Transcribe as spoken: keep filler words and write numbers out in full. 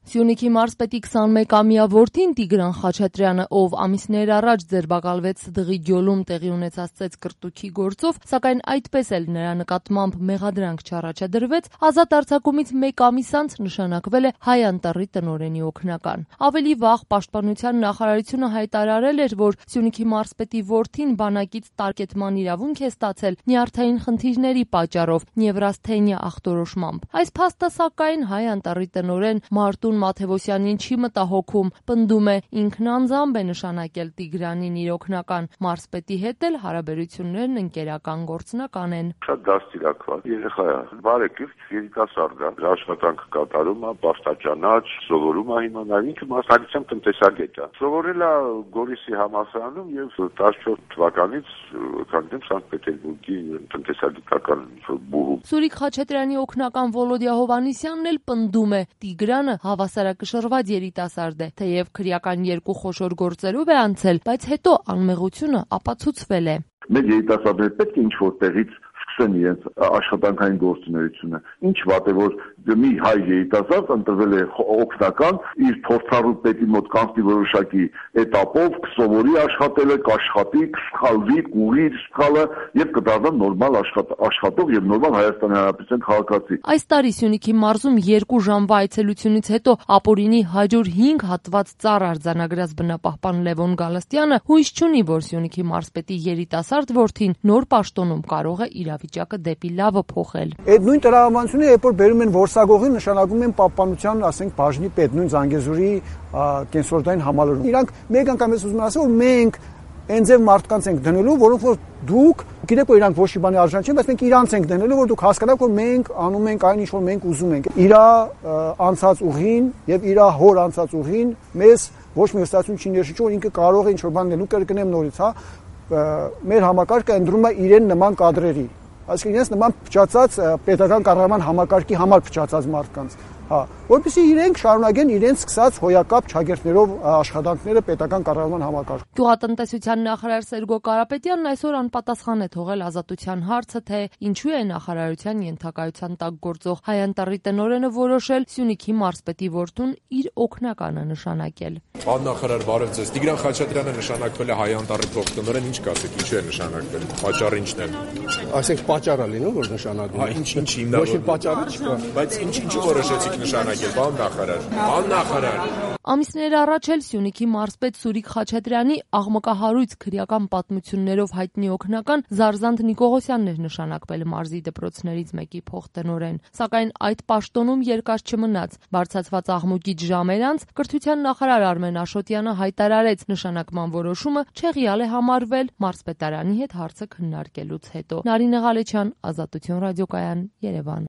Սյունիքի մարզպետի քսանմեկամյա որդին Տիգրան Խաչատրյանը, ով ամիսներ առաջ ձերբակալվեց Սդղի Գյոլում տեղի ունեցած ծեծկռտուքի գործով, սակայն այդպես էլ նրա նկատմամբ մեղադրանք չառաջադրվեց, ազատ արձակումից մեկ ամիս անց նշանակվել է Հայ Անտառի տնօրենի օգնական։ Ավելի վաղ Պաշտպանության նախարարությունը հայտարարել էր, որ Սյունիքի մարզպետի որդին բանակից տարկետման իրավունք է ստացել նյարդային խնդիրների պատճառով նևրասթենիա ախտորոշմամբ։ Այս փաստը, սակայն, Հայ Անտառի տնօրեն Մարտուն Մաթևոսյանին չի մտահոգում, պնդում է, ինքն անձամբ է նշանակել Տիգրանին իր օգնական, մարզպետի հետ էլ հարաբերություններն ընկերական գործնական են։ Շատ դաստիարակված երեխա է, բարեկիրթ, երիտասարդ է, աշխատանք կատարում է, պաշտաճանաչ, սովորում է հիմա, նաև ինքը մասնագիտությամբ տնտեսագետ է։ Սովորել է Գորիսի համալսարանում եւ տասնչորս թվականից քանդեմ Սանկտ Պետերբուրգի տնտեսագիտական բուհում։ Սուրիկ Խաչատրյանի օգնական Վոլոդիա Հովհաննիսյանն էլ պնդում է, Տիգրանը հավասարակշռված երիտասարդ է, թեև քրեական երկու խոշոր գործերով է անցել, բայց հետո անմեղությունը ապացուցվել է։ Մեր երիտասարդները պետք է ինչ-որ տեղից սկսեն իրենց աշխատանքային գործունեությունը։ Ինչ վատ է, որ մի հայ երիտասարդ ընտրվել է օգնական, իր փորձառու պետի մոտ կանցնի որոշակի էտապով, կսովորի աշխատելը, կաշխատի, կսխալվի, կուղի իր սխալը եւ կդառնա նորմալ աշխատող եւ նորմալ Հայաստանի Հանրապետության քաղաքացի։ Այս տարի Սյունիքի մարզում երկու ժամվա այցելությունից հետո ապօրինի հաջոր հինգ հատված ծառ արձանագրած բնապահպան Լևոն Գալստյանը հույս չունի, որ Սյունիքի մարզպետի երիտասարդ որդին նոր պաշտոնում կարող է իրավիճակը դեպի լավը փոխել։ Այդ նույն տրամաբանությունը, երբ որ բերում են որսագողին, նշանակում են պահպանության, ասենք, բաժնի պետ, նույն Զանգեզուրի կենսորդային համալիրում։ Իրանք մեկ անգամ ես ուզում ասել, որ մենք այնձև մարդկանց ենք դնելու, որոնք որ դուք գիտեք, որ իրանք ոչ մի բանի արժան չեն, բայց մենք իրանց ենք դնելու, որ դուք հասկանաք, որ մենք անում ենք այն ինչ որ մենք ուզում ենք։ Իրա անցած ուղին եւ իրա հոր անցած ուղին մեզ ոչ մի հստակություն չի ներշնչում, որ ինքը կարող է ինչ որ բան դնելու, կրկնեմ նորից, հա։ Մեր համակարգը ընդրում է իրեն նման կադրերի, այսինքն իրենց նման փչացած պետական կառավարման համակարգի համար փչացած մարդկանց, հա, որպեսզի իրենք շարունակեն իրենց սկսած հոյակապ ճագերտներով աշխատանքները պետական կառավարման համակարգում։ Գյուղատնտեսության նախարար Սերգո Կարապետյանն այսօր անպատասխան է թողել Ազատության հարցը, թե ինչու է նախարարության ենթակայության տակ գործող Հայ Անտառի տնօրենը որոշել Սյունիքի մարզպետի որդուն իր օգնականը նշանակել։ Պարոն նախարար, բարև ձեզ։ Տիգրան Խաչատրյանը նշանակվել է Հայ Անտառի փոխտնօրեն, ինչ կասեք, ինչու է նշանակվել։ Պատճառը ինչն է։ Այսինքն պատճառը լինում, որ նշանակվում է։ Ինչ ինչ հիմնավոր։ Ոչ մի պատճառ չկա։ Բայց ինչ ինչու որոշեցիք նշանակել, պարոն նախարար։ Պարոն նախարար։ Ամիսներ առաջ էլ Սյունիքի մարզպետ Սուրիկ Խաչատրյանի աղմկահարույց քրեական պատմություններով հայտնի օգնական Զարզանդ Նիկողոսյանն էր նշանակվել մարզի դպրոցներից մեկի փոխտնօրեն, սակայն այդ պաշտոնում երկար չմնաց։ Բարձրացված աղմուկից ժամեր անց կրթության նախարար Արմեն Աշոտյանը հայտարարեց, նշանակման որոշումը չեղյալ է համարվել մարզպետարանի հետ հարցը քննարկելուց հետո։ Նարինե Ղալեչյան, Ազատություն ռադիոկայան, Երևան։